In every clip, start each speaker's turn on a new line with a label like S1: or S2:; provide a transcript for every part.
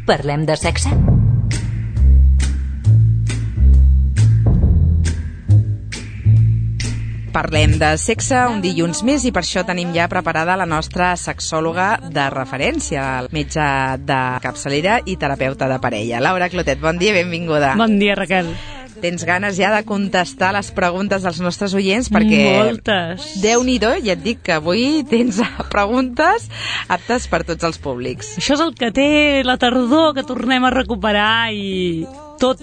S1: Parlem de sexe?
S2: Parlem de sexe un dilluns més i per això tenim ja preparada la nostra sexòloga de referència, el metge de capçalera i terapeuta de parella. Laura Clotet, bon dia, benvinguda.
S3: Bon dia, Raquel.
S2: Tens ganes ja de contestar les preguntes dels nostres oients perquè...
S3: Moltes.
S2: Déu-n'hi-do, ja et dic que avui tens preguntes aptes per tots els públics.
S3: Això és el que té la tardor, que tornem a recuperar i tot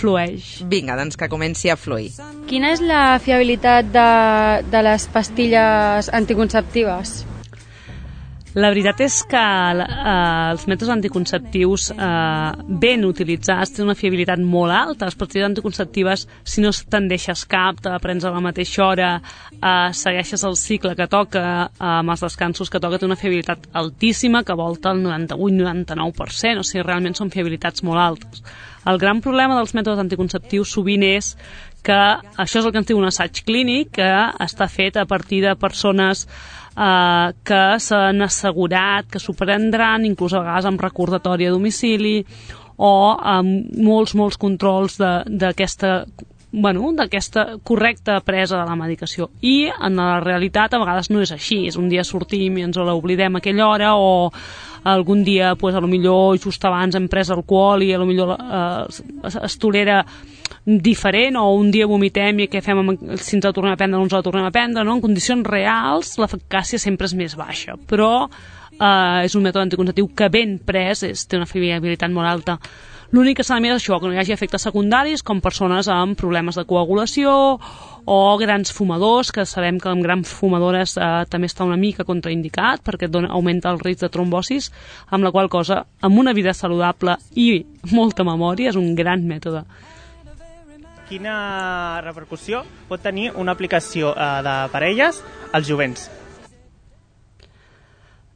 S3: flueix.
S2: Vinga, doncs que comenci a fluir.
S4: Quina és la fiabilitat de les pastilles anticonceptives?
S3: La veritat és que els mètodes anticonceptius ben utilitzats tenen una fiabilitat molt alta. Les pastilles anticonceptives, si no te'n deixes cap, te la prens a la mateixa hora, segueixes el cicle que toca, amb els descansos que toca, té una fiabilitat altíssima que volta el 98-99%, o sigui, realment són fiabilitats molt altes. El gran problema dels mètodes anticonceptius sovint és que això és el que ens diu un assaig clínic, que està fet a partir de persones que s'han assegurat que s'ho prendran, inclús a vegades amb recordatori a domicili o amb molts controls d'aquesta correcta presa de la medicació. I en la realitat a vegades no és així. És un dia sortim i ens l'oblidem a aquella hora, o algun dia, pues, a lo millor just abans hem pres alcohol i a lo millor es tolera diferent, o un dia vomitem i què fem si ens la tornem a prendre o no ens la tornem a prendre, no? En condicions reals l'eficàcia sempre és més baixa, però és un mètode anticonceptiu que ben pres té una fiabilitat molt alta. L'únic que s'ha de mirar és això, que no hi hagi efectes secundaris com persones amb problemes de coagulació o grans fumadors, que sabem que amb grans fumadores també està una mica contraindicat perquè augmenta el risc de trombosis, amb la qual cosa, amb una vida saludable i molta memòria, és un gran mètode.
S5: Quina repercussió pot tenir una aplicació de parelles als jovents?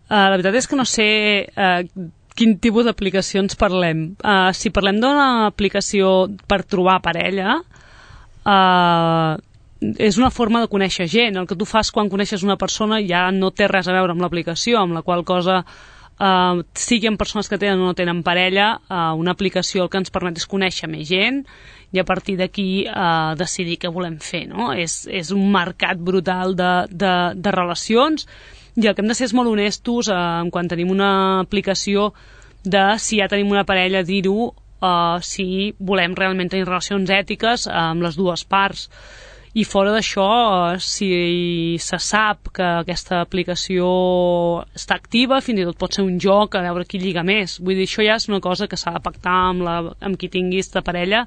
S3: La veritat és que no sé quin tipus d'aplicacions parlem. Si parlem d'una aplicació per trobar parella, és una forma de conèixer gent. El que tu fas quan coneixes una persona ja no té res a veure amb l'aplicació, amb la qual cosa sigui en persones que tenen o no tenen parella, una aplicació el que ens permet és conèixer més gent i a partir d'aquí decidir què volem fer, no? És un mercat brutal de relacions, i el que hem de ser és molt honestos quan tenim una aplicació de si ja tenim una parella, dir-ho, si volem realment tenir relacions ètiques amb les dues parts. I fora d'això, si se sap que aquesta aplicació està activa, fins i tot pot ser un joc a veure qui lliga més. Vull dir, això ja és una cosa que s'ha de pactar amb qui tinguis de parella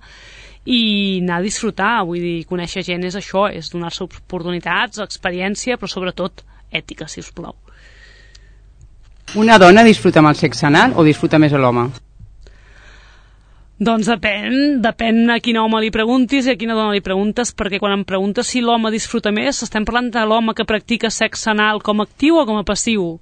S3: i anar a disfrutar. Vull dir, conèixer gent és això, és donar-se oportunitats, experiència, però sobretot ètica, si us plau.
S6: Una dona disfruta amb el sexe anal o disfruta més l'home?
S3: Doncs depèn a quin home li preguntis i a quina dona li preguntes, perquè quan em preguntes si l'home disfruta més, estem parlant de l'home que practica sexe anal com a actiu o com a passiu.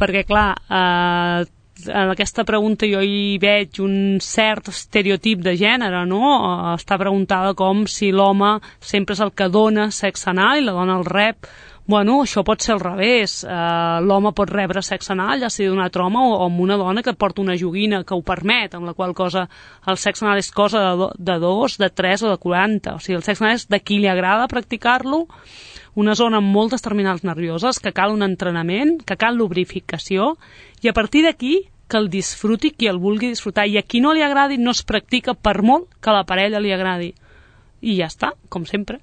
S3: Perquè, clar, en aquesta pregunta jo hi veig un cert estereotip de gènere, no? Està preguntada com si l'home sempre és el que dona sexe anal i la dona el rep. Bueno, això pot ser al revés. L'home pot rebre sexe anal, ja sigui d'un altre home o amb una dona que porta una joguina que ho permet, amb la qual cosa el sexe anal és cosa de 2, de 3 o de 40. O sigui, el sexe anal és de qui li agrada practicar-lo, una zona amb moltes terminals nervioses, que cal un entrenament, que cal lubrificació, i a partir d'aquí que el disfruti qui el vulgui disfrutar, i a qui no li agradi no es practica per molt que a la parella li agradi. I ja està, com sempre.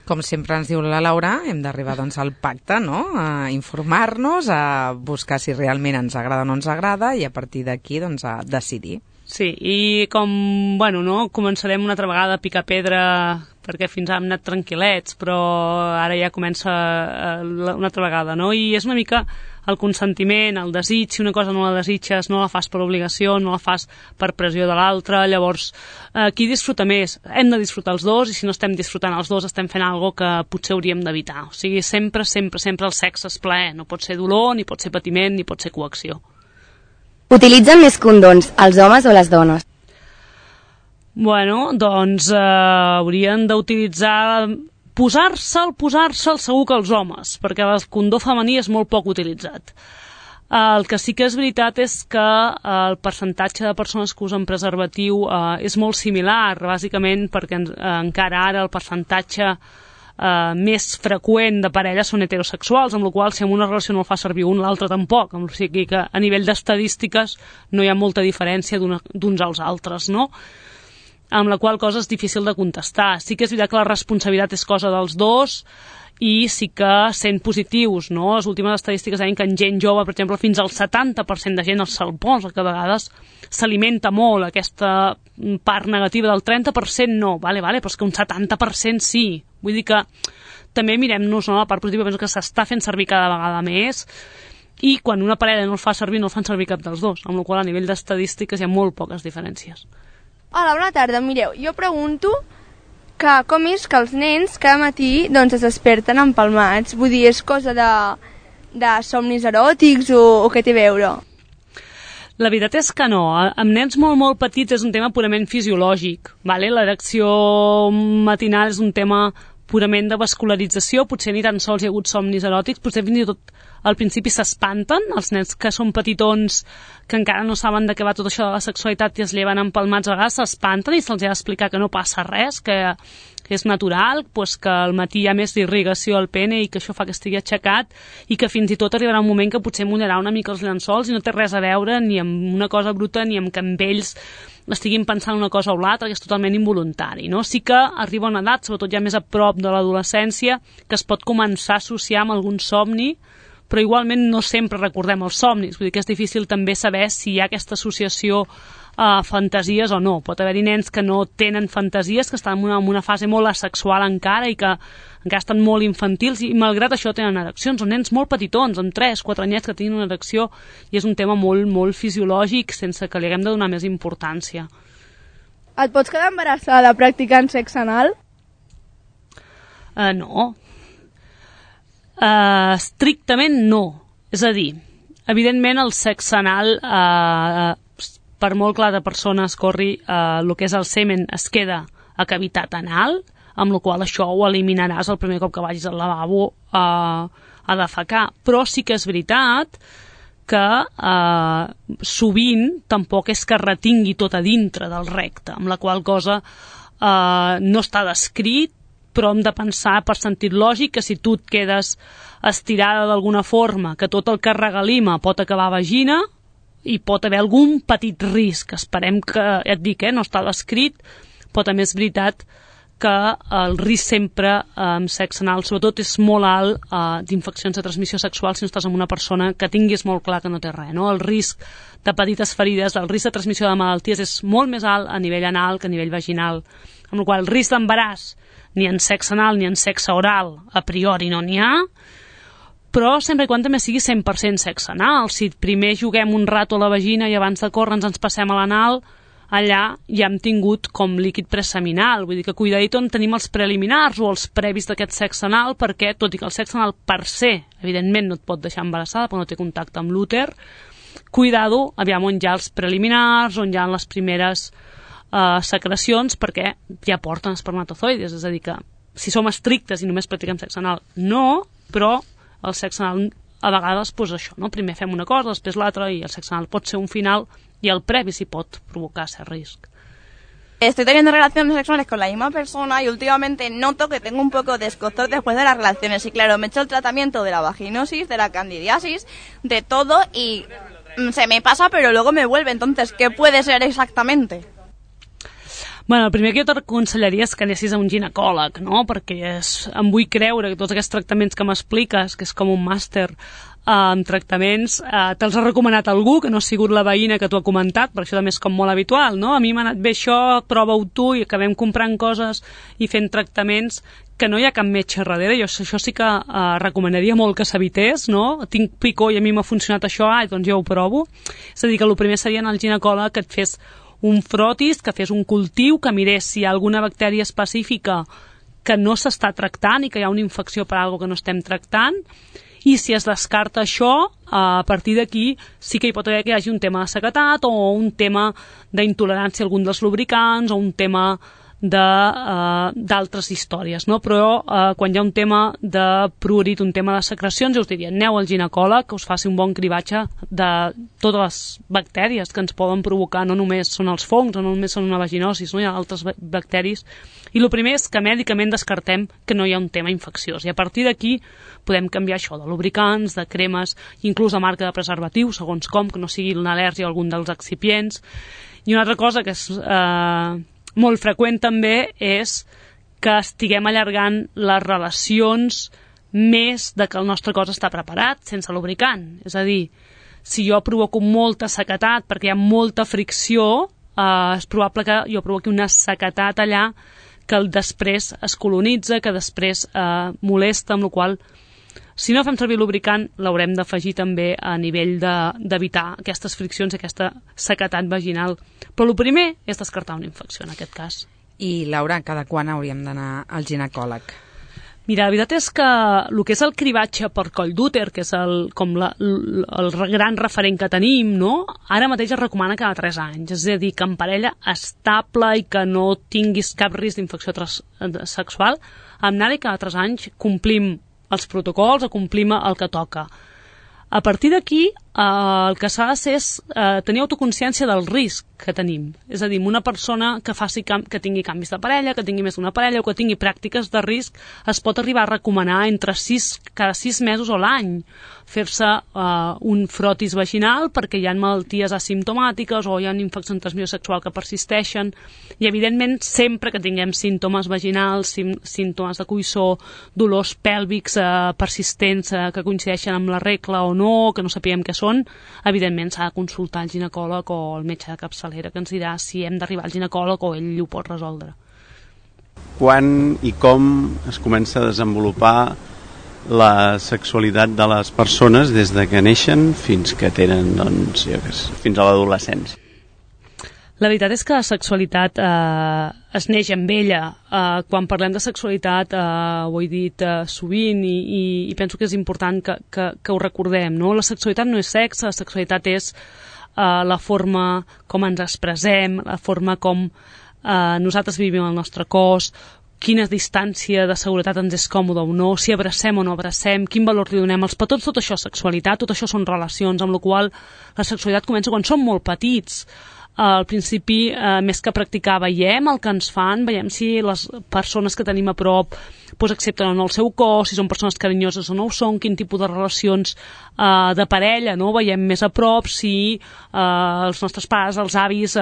S2: Com sempre ens diu la Laura, hem d'arribar doncs al pacte, no? A informar-nos, a buscar si realment ens agrada o no ens agrada i a partir d'aquí doncs a decidir.
S3: Sí, i com, bueno, no, començarem una altra vegada a picar pedra perquè fins ara hem anat tranquil·lets, però ara ja comença una altra vegada, no? I és una mica el consentiment, el desig, si una cosa no la desitges, no la fas per obligació, no la fas per pressió de l'altre, llavors qui disfruta més? Hem de disfrutar els dos, i si no estem disfrutant els dos estem fent alguna cosa que potser hauríem d'evitar. O sigui, sempre el sexe és plaer, no pot ser dolor, ni pot ser patiment, ni pot ser coacció.
S7: Utilitzen més condons els homes o les dones?
S3: Bueno, doncs haurien d'utilitzar... Posar-se'l segur que els homes, perquè el condó femení és molt poc utilitzat. El que sí que és veritat és que el percentatge de persones que usen preservatiu és molt similar, bàsicament perquè encara ara el percentatge més freqüent de parelles són heterosexuals, amb la qual cosa si en una relació no el fa servir un, l'altre tampoc, o sigui que a nivell d'estadístiques no hi ha molta diferència d'uns als altres, no? Amb la qual cosa és difícil de contestar. Sí que és veritat que la responsabilitat és cosa dels dos, i sí que sent positius, no? Les últimes estadístiques deien que en gent jove, per exemple, fins al 70% de gent se'l posa, que a vegades s'alimenta molt aquesta part negativa del 30% no, vale, però és que un 70% sí. Vull dir que també mirem-nos, no? La part positiva, penso que s'està fent servir cada vegada més, i quan una parella no el fa servir, no el fan servir cap dels dos, amb la qual cosa a nivell d'estadístiques hi ha molt poques diferències.
S1: Hola, bona tarda. Mireu, jo pregunto que com és que els nens cada matí doncs, es desperten empalmats? Vull dir, és cosa de somnis eròtics o què té a veure?
S3: La veritat és que no. Amb nens molt petits és un tema purament fisiològic. Vale? L'erecció matinal és un tema purament de vascularització, potser ni tan sols hi ha hagut somnis eròtics, potser fins i tot al principi s'espanten, els nens que són petitons, que encara no saben de què va tot això de la sexualitat i es lleven empalmats, a vegades s'espanten i se'ls ha d'explicar que no passa res, que és natural, pues que al matí hi ha més d'irrigació al pene i que això fa que estigui aixecat i que fins i tot arribarà un moment que potser mullarà una mica els llençols i no té res a veure ni amb una cosa bruta ni amb que amb ells estiguin pensant una cosa o l'altra, que és totalment involuntari, no? Sí que arriba una edat, sobretot ja més a prop de l'adolescència, que es pot començar a associar amb algun somni, però igualment no sempre recordem els somnis, vull dir que és difícil també saber si hi ha aquesta associació a fantasies o no. Pot haver-hi nens que no tenen fantasies, que estan en una fase molt asexual encara i que encara estan molt infantils i malgrat això tenen ereccions. Són nens molt petitons, amb 3-4 anyets que tenen una erecció i és un tema molt fisiològic sense que li haguem de donar més importància.
S1: Et pots quedar embarassada practicant sexe anal?
S3: No. Estrictament no. És a dir, evidentment el sexe anal per molt que l'altra persona escorri el que és el semen es queda a cavitat anal, amb la qual això ho eliminaràs el primer cop que vagis al lavabo a defecar. Però sí que és veritat que sovint tampoc és que retingui tot a dintre del recte, amb la qual cosa no està descrit, però hem de pensar per sentit lògic que si tu et quedes estirada d'alguna forma, que tot el que regalima pot acabar a vagina i pot haver algun petit risc. Esperem que, ja et dic, no està descrit, però també és veritat que el risc sempre amb sexe anal, sobretot, és molt alt d'infeccions de transmissió sexual si no estàs amb una persona que tinguis molt clar que no té res, no? El risc de petites ferides, el risc de transmissió de malalties és molt més alt a nivell anal que a nivell vaginal, amb la qual cosa el risc d'embaràs ni en sexe anal ni en sexe oral a priori no n'hi ha, però sempre i quan també sigui 100% sexe anal. Si primer juguem un rato a la vagina i abans de córrer ens passem a l'anal, allà ja hem tingut com líquid preseminal, vull dir que cuidadito on tenim els preliminars o els previs d'aquest sexe anal, perquè tot i que el sexe anal per se, evidentment no et pot deixar embarassada perquè no té contacte amb l'úter, cuidado, aviam on hi ha els preliminars, on hi ha les primeres secrecions, perquè ja porten espermatozoides, és a dir que si som estrictes i només practiquem sexe anal, no, però el sexe anal a vegades, doncs això, no? Primer fem una cosa, després l'altra, i el sexe anal pot ser un final y el previ sí pot provocar ese riesgo.
S8: Estoy teniendo relaciones sexuales con la misma persona y últimamente noto que tengo un poco de escozor después de las relaciones. Y claro, me he hecho el tratamiento de la vaginosis, de la candidiasis, de todo y se me pasa pero luego me vuelve. Entonces, ¿qué puede ser exactamente?
S3: Bueno, el primer que jo t'aconsellaria és que anessis a un ginecòleg, no? Perquè em vull creure que tots aquests tractaments que m'expliques, que és com un màster en tractaments, te'ls ha recomanat algú que no ha sigut la veïna que t'ho ha comentat, perquè això també és com molt habitual, no? A mi m'ha anat bé això, prova-ho tu, i acabem comprant coses i fent tractaments que no hi ha cap metge darrere. Jo això sí que recomanaria molt que s'evités, no? Tinc picor i a mi m'ha funcionat això, doncs jo ho provo. És a dir, que el primer seria anar al ginecòleg que et fes un frotis, que fes un cultiu, que mirés si hi ha alguna bactèria específica que no s'està tractant i que hi ha una infecció per alguna que no estem tractant, i si es descarta això, a partir d'aquí sí que hi pot haver que hi hagi un tema de sequedat o un tema d'intolerància a algun dels lubricants o un tema d'altres històries, no? Però quan hi ha un tema de prurit, un tema de secrecions, jo us diria, aneu al ginecòleg, que us faci un bon cribatge de totes les bactèries que ens poden provocar, no només són els fongs, no només són una vaginosis, no? Hi ha altres bacteris. I el primer és que mèdicament descartem que no hi ha un tema infecciós. I a partir d'aquí podem canviar això de lubricants, de cremes, inclús de marca de preservatiu, segons com, que no sigui una al·lèrgia a algun dels excipients. I una altra cosa que és molt freqüent també és que estiguem allargant les relacions més de que el nostre cos està preparat sense lubricant. És a dir, si jo provoco molta sequetat perquè hi ha molta fricció, és probable que jo provoqui una sequetat allà que després es colonitza, que després molesta, amb la qual cosa, si no fem servir lubricant, l'haurem d'afegir també a nivell d'evitar aquestes friccions i aquesta sequetat vaginal. Però el primer és descartar una infecció, en aquest cas.
S2: I, Laura, cada quan hauríem d'anar al ginecòleg?
S3: Mira, la veritat és que el que és el cribatge per coll d'úter, que és el gran referent que tenim, no? Ara mateix es recomana cada 3 anys, és a dir, que en parella estable i que no tinguis cap risc d'infecció sexual, amb anar-hi cada 3 anys complim els protocols o complim el que toca. A partir d'aquí, el que s'ha de fer és tenir autoconsciència del risc que tenim. És a dir, una persona que tingui canvis de parella, que tingui més d'una parella o que tingui pràctiques de risc, es pot arribar a recomanar cada 6 mesos o l'any fer-se un frotis vaginal perquè hi ha malalties asimptomàtiques o hi ha infeccions de transmissió sexual que persisteixen. I, evidentment, sempre que tinguem símptomes vaginals, símptomes de coïssor, dolors pèlvics persistents que coincideixen amb la regla o no, que no sapiguem què són, evidentment s'ha de consultar el ginecòleg o el metge de capçalera, que ens dirà si hem d'arribar al ginecòleg o ell ho pot resoldre.
S9: Quan i com es comença a desenvolupar la sexualitat de les persones des de que neixen fins que tenen, doncs, fins a l'adolescència?
S3: La veritat és que la sexualitat es neix amb ella. Quan parlem de sexualitat, ho he dit sovint i penso que és important que ho recordem, no? La sexualitat no és sexe, la sexualitat és la forma com ens expressem, la forma com nosaltres vivim el nostre cos, quina distància de seguretat ens és còmode o no, si abracem o no abracem, quin valor li donem als petons, tot això és sexualitat, tot això són relacions, amb la qual la sexualitat comença quan som molt petits. Al principi, més que practicar, veiem el que ens fan, veiem si les persones que tenim a prop accepten o no el seu cos, si són persones carinyoses o no ho són, quin tipus de relacions de parella, no? Veiem més a prop si els nostres pares, els avis,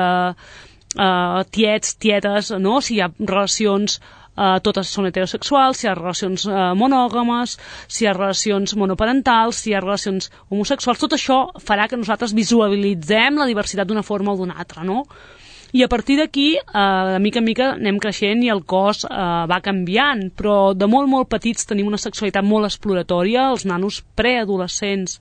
S3: tiets, tietes, no? Si hi ha relacions totes són heterosexuals, si hi ha relacions monògames, si hi ha relacions monoparentals, si hi ha relacions homosexuals, tot això farà que nosaltres visualitzem la diversitat d'una forma o d'una altra, no? I a partir d'aquí, de mica en mica, anem creixent i el cos va canviant, però de molt, molt petits tenim una sexualitat molt exploratòria, els nanos preadolescents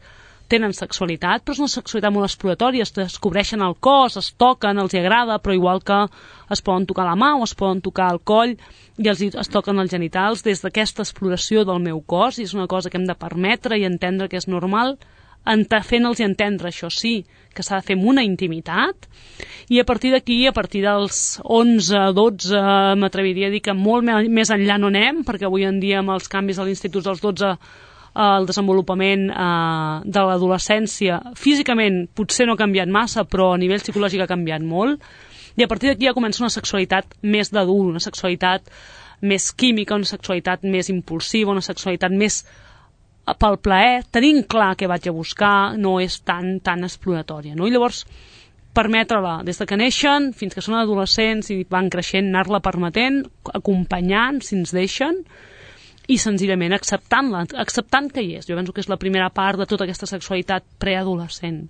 S3: tenen sexualitat, però és una sexualitat molt exploratòria, es descobreixen el cos, es toquen, els agrada, però igual que es poden tocar la mà o es poden tocar el coll i es toquen els genitals des d'aquesta exploració del meu cos, i és una cosa que hem de permetre i entendre que és normal, fent-los entendre, això sí, que s'ha de fer amb una intimitat, i a partir d'aquí, a partir dels 11, 12, m'atreviria a dir que molt més enllà no anem, perquè avui en dia amb els canvis a l'institut dels 12 el desenvolupament de l'adolescència físicament potser no ha canviat massa, però a nivell psicològic ha canviat molt, i a partir d'aquí ja comença una sexualitat més d'adult, una sexualitat més química, una sexualitat més impulsiva, una sexualitat més pel plaer, tenint clar què vaig a buscar, no és tan exploratòria, no? I llavors permetre-la des de que neixen fins que són adolescents i van creixent, anar-la permetent, acompanyant si ens deixen, i senzillament acceptant-la, acceptant que hi és. Jo penso que és la primera part de tota aquesta sexualitat preadolescent.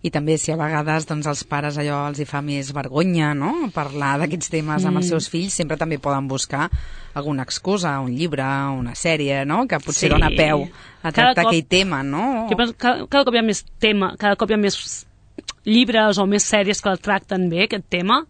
S2: I també si a vegades doncs, els pares allò els hi fa més vergonya, no?, parlar d'aquests temes amb els seus fills, sempre també poden buscar alguna excusa, un llibre, una sèrie, no?, que potser dona peu a tractar aquell tema, no?
S3: Cada cop hi ha més tema, cada cop hi ha més llibres o més sèries que el tracten bé, aquest tema.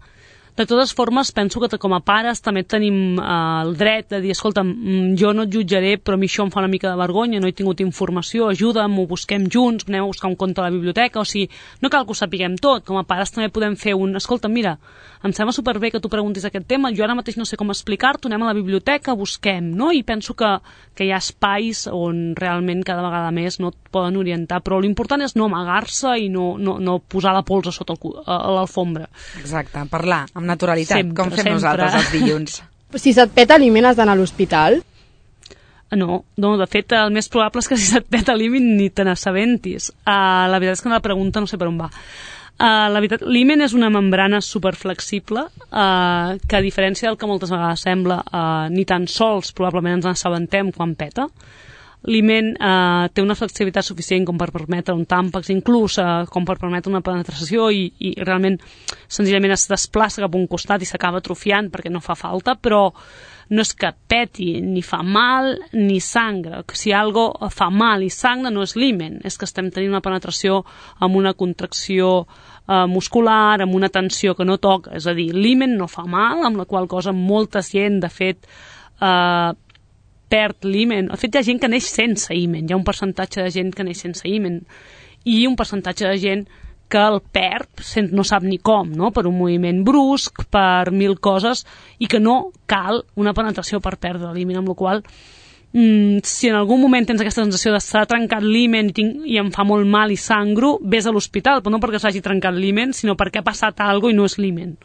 S3: De totes formes, penso que com a pares també tenim el dret de dir, escolta'm, jo no et jutjaré, però a mi això em fa una mica de vergonya, no he tingut informació, ajuda'm, ho busquem junts, anem a buscar un conte a la biblioteca, o sigui, no cal que ho sapiguem tot, com a pares també podem fer escolta'm, mira, em sembla superbé que tu preguntis aquest tema, jo ara mateix no sé com explicar-t'ho, anem a la biblioteca, busquem, no? I penso que hi ha espais on realment cada vegada més no et poden orientar, però l'important és no amagar-se i no posar la pols a sota l'alfombra.
S2: Exacte, parlar amb naturalitat,
S3: sempre,
S2: com fem nosaltres els dilluns.
S4: Si se't peta l'himen has d'anar a l'hospital?
S3: No, de fet, el més probable és que si se't peta l'himen ni te n'assabentis. La veritat és que la pregunta no sé per on va. La veritat, l'himen és una membrana superflexible que, a diferència del que moltes vegades sembla, ni tan sols probablement ens n'assabentem quan peta. L'himen té una flexibilitat suficient com per permetre un tàmpax, inclús com per permetre una penetració i realment senzillament es desplaça cap a un costat i s'acaba atrofiant perquè no fa falta, però no és que peti, ni fa mal ni sangra. Si algo fa mal i sangra no és l'himen, és que estem tenint una penetració amb una contracció muscular, amb una tensió que no toca, és a dir, l'himen no fa mal, amb la qual cosa molta gent, de fet, perd l'himen. De fet, hi ha gent que neix sense himen, hi ha un percentatge de gent que neix sense himen i un percentatge de gent que el perd, no sap ni com, no? Per un moviment brusc, per 1000 coses, i que no cal una penetració per perdre l'himen, amb la qual si en algun moment tens aquesta sensació de s'ha trencat l'himen i em fa molt mal i sangro, vés a l'hospital, però no perquè s'hagi trencat l'himen, sinó perquè ha passat alguna cosa i no és l'himen.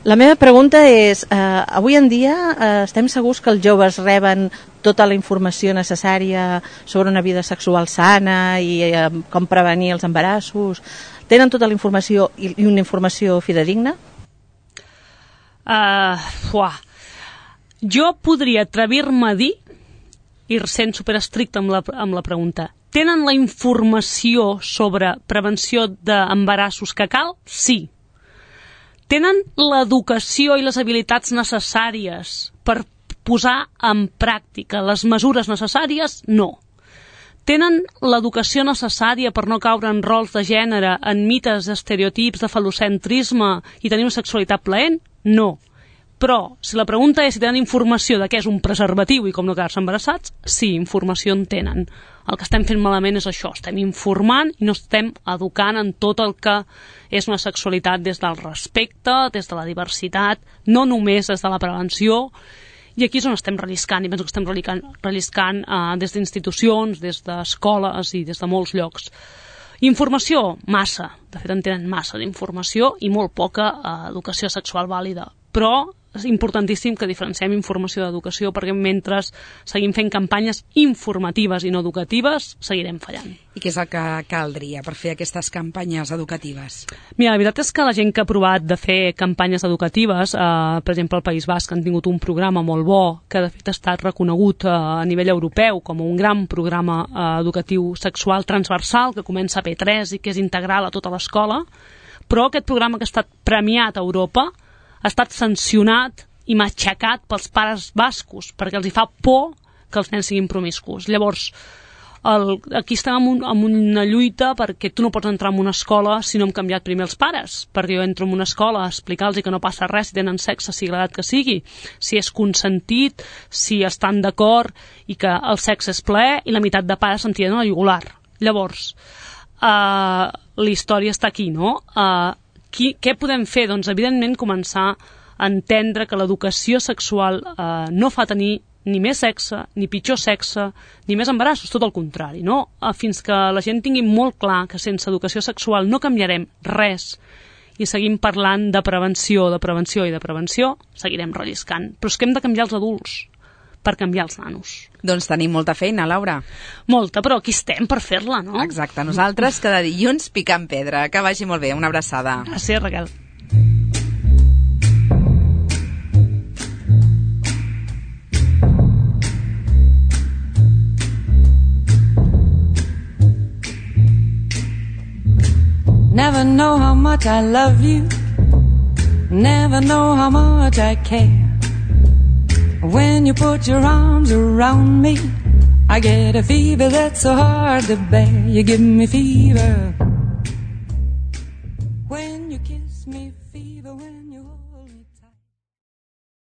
S10: La meva pregunta és, avui en dia estem segurs que els joves reben tota la informació necessària sobre una vida sexual sana i com prevenir els embarassos? Tenen tota la informació i una informació fidedigna?
S3: Jo podria atrevir-me a dir, i sent superestricte amb la pregunta, tenen la informació sobre prevenció d'embarassos que cal? Sí. Tenen l'educació i les habilitats necessàries per posar en pràctica les mesures necessàries? No. Tenen l'educació necessària per no caure en rols de gènere, en mites, estereotips de falocentrisme i tenir una sexualitat plaent? No. Però, si la pregunta és si tenen informació de què és un preservatiu i com no quedar-se embarassats, sí, informació en tenen. El que estem fent malament és això, estem informant i no estem educant en tot el que és una sexualitat des del respecte, des de la diversitat, no només des de la prevenció, i aquí és on estem relliscant, i penso que estem relliscant des d'institucions, des d'escoles i des de molts llocs. Informació, massa, de fet en tenen massa d'informació i molt poca educació sexual vàlida, però és importantíssim que diferenciem informació d'educació perquè mentre seguim fent campanyes informatives i no educatives, seguirem fallant.
S2: I què és el que caldria per fer aquestes campanyes educatives?
S3: Mira, la veritat és que la gent que ha provat de fer campanyes educatives, per exemple al País Basc han tingut un programa molt bo que de fet ha estat reconegut a nivell europeu com un gran programa educatiu sexual transversal que comença a P3 i que és integral a tota l'escola, però aquest programa que ha estat premiat a Europa ha estat sancionat i matxacat pels pares bascos perquè els hi fa por que els nens siguin promiscus. Llavors, aquí estem en una lluita perquè tu no pots entrar en una escola si no hem canviat primer els pares, perquè jo entro en una escola a explicar-los que no passa res si tenen sexe, sigui l'edat que sigui, si és consentit, si estan d'acord i que el sexe és plaer i la meitat de pares se'n tiren a la jugular. Llavors, la història està aquí, no? Què podem fer? Doncs, evidentment, començar a entendre que l'educació sexual no fa tenir ni més sexe, ni pitjor sexe, ni més embarassos, tot el contrari, no? Fins que la gent tingui molt clar que sense educació sexual no canviarem res i seguim parlant de prevenció, seguirem relliscant. Però és que hem de canviar els adults per canviar els nanos.
S2: Doncs tenim molta feina, Laura.
S3: Molta, però aquí estem per fer-la, no?
S2: Exacte, nosaltres cada dilluns picant pedra. Que vagi molt bé, una abraçada.
S3: Gràcies, Raquel.
S11: Never know how much I love you. Never know how much I care. When you put your arms around me, I get a fever that's so hard to bear. You give me fever